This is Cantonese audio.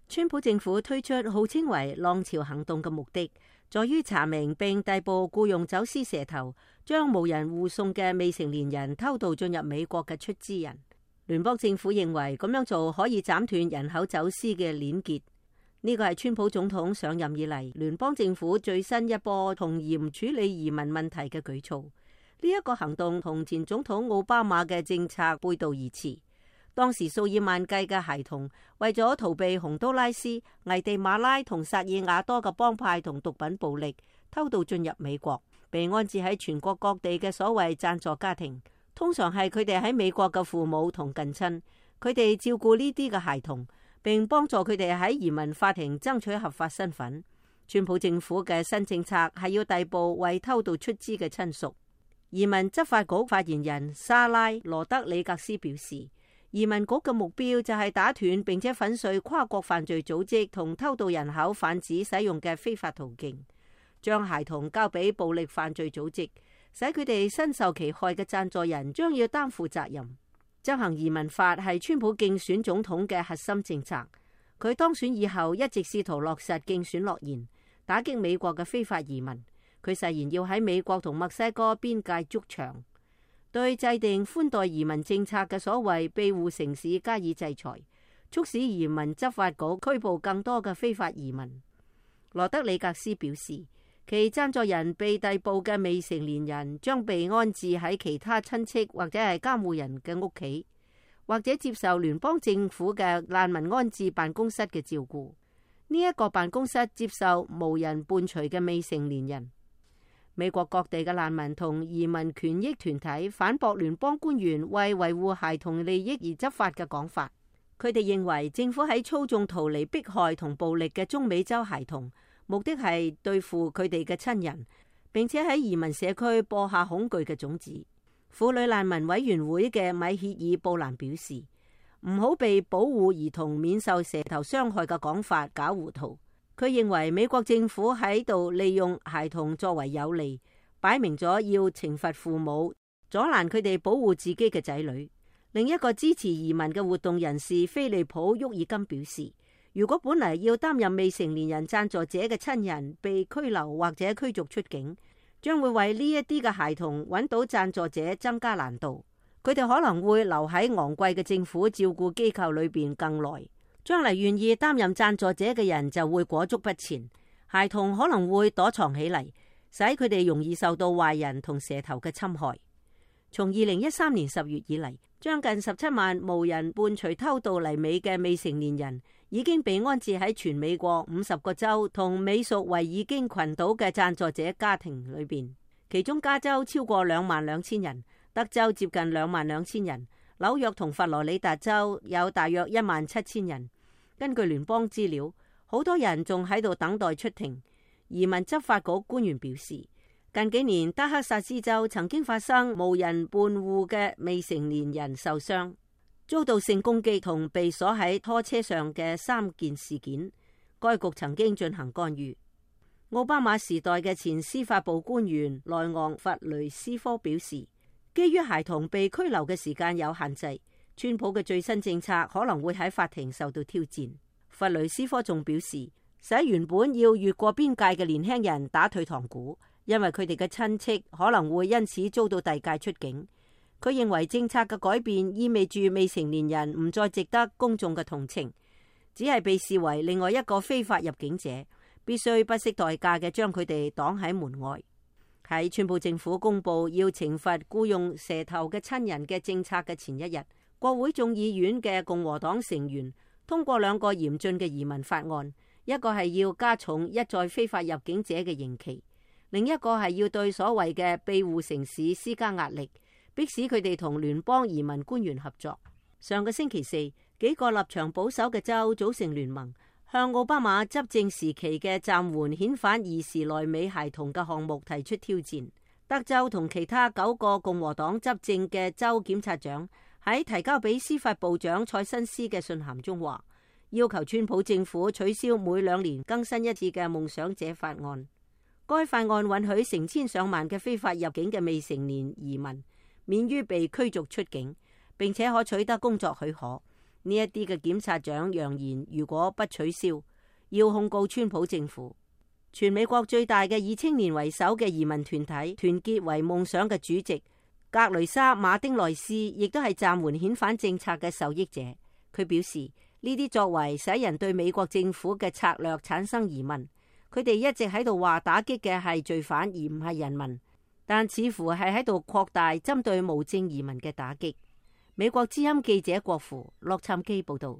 川普政府推出號稱為浪潮行動嘅目的，在於查明並逮捕僱用走私蛇頭、將無人護送嘅未成年人偷渡進入美國嘅出資人。聯邦政府認為咁樣做可以斬斷人口走私嘅鏈結。呢個係川普總統上任以嚟聯邦政府最新一波從嚴處理移民問題嘅舉措。呢一個行動同前總統奧巴馬嘅政策背道而馳。當時數以萬計嘅孩童為咗逃避洪都拉斯、危地馬拉同薩爾瓦多嘅幫派同毒品暴力，偷渡進入美國，被安置喺全國各地嘅所謂贊助家庭，通常係佢哋喺美國嘅父母同近親，佢哋照顧呢啲嘅孩童，並幫助佢哋喺移民法庭爭取合法身份。川普政府嘅新政策係要逮捕為偷渡出資嘅親屬。移民執法局發言人莎拉羅德里格斯表示，移民局嘅目標就係打斷並且粉碎跨國犯罪組織同偷渡人口販子使用嘅非法途徑，將孩童交俾暴力犯罪組織，使佢哋身受其害嘅贊助人將要擔負責任。執行移民法係川普競選總統嘅核心政策，佢當選以後一直試圖落實競選諾言，打擊美國嘅非法移民。佢誓言要喺美國同墨西哥邊界築牆。對制定寬待移民政策嘅所謂庇護城市加以制裁，促使移民執法局拘捕更多嘅非法移民。羅德里格斯表示，其贊助人被逮捕嘅未成年人將被安置喺其他親戚或者係監護人嘅屋企，或者接受聯邦政府嘅難民安置辦公室嘅照顧。呢一個辦公室接受無人伴隨嘅未成年人。美國各地嘅難民同移民權益團體反駁聯邦官員為維護孩童利益而執法嘅講法。佢哋認為政府喺操縱逃離迫害同暴力嘅中美洲孩童，目的係對付佢哋嘅親人，並且喺移民社區播下恐懼嘅種子。婦女難民委員會嘅米歇爾布蘭表示，唔好被保護兒童免受蛇頭傷害嘅講法搞糊塗。佢認為美國政府喺度利用孩童作為有利，擺明咗要懲罰父母，阻攔佢哋保護自己嘅仔女。另一個支持移民嘅活動人士菲利普沃爾金表示，如果本嚟要擔任未成年人贊助者嘅親人被拘留或者驅逐出境，將會為呢一啲嘅孩童揾到贊助者增加難度。佢哋可能會留喺昂貴嘅政府照顧機構裏邊更耐。將嚟願意擔任贊助者嘅人就會裹足不前，孩童可能會躲藏起嚟，使佢哋容易受到壞人同蛇頭嘅侵害。從2013年10月以嚟，將近17萬無人伴隨偷渡嚟美嘅未成年人已經被安置喺全美國50個州同美屬維爾京群島嘅贊助者家庭裏邊，其中加州超過22,000人，德州接近22,000人，紐約同佛羅里達州有大約17,000人。根據聯邦資料，好多人仲喺度等待出庭。移民執法局官員表示，近幾年德克薩斯州曾經發生無人伴護嘅未成年人受傷、遭到性攻擊同被鎖喺拖車上嘅3件事件。該局曾經進行干預。奧巴馬時代嘅前司法部官員萊昂弗雷斯科表示，基於孩童被拘留嘅時間有限制，川普嘅最新政策可能會喺法庭受到挑戰。弗雷斯科仲表示，使原本要越過邊界嘅年輕人打退堂鼓，因為佢哋嘅親戚可能會因此遭到遞解出境。佢認為政策嘅改變意味住未成年人唔再值得公眾嘅同情，只係被視為另外一個非法入境者，必須不惜代價嘅將佢哋擋喺門外。喺川普政府公布要懲罰僱用蛇頭嘅親人嘅政策嘅前一日，國會眾議院嘅共和黨成員通過2個嚴峻嘅移民法案，一個係要加重一再非法入境者嘅刑期，另一個係要對所謂嘅庇護城市施加壓力，迫使佢哋同聯邦移民官員合作。上個星期四，幾個立場保守嘅州組成聯盟，向奧巴馬執政時期嘅暫緩遣返兒時來美孩童嘅項目提出挑戰。德州同其他9個共和黨執政嘅州檢察長喺提交俾司法部長蔡新斯嘅信函中話，要求川普政府取消每2年更新一次嘅夢想者法案。該法案允許成千上萬嘅非法入境嘅未成年移民免於被驅逐出境，並且可取得工作許可，呢一啲嘅檢察長揚言，如果不取消，要控告川普政府。全美國最大嘅以青年為首嘅移民團體團結為夢想嘅主席格雷莎馬丁內斯亦都係暫緩遣返政策嘅受益者。佢表示，呢啲作為使人對美國政府嘅策略產生疑問。佢哋一直喺度話打擊嘅係罪犯而唔係人民，但似乎係喺度擴大針對無證移民嘅打擊。美國之音記者郭芙洛杉磯報道。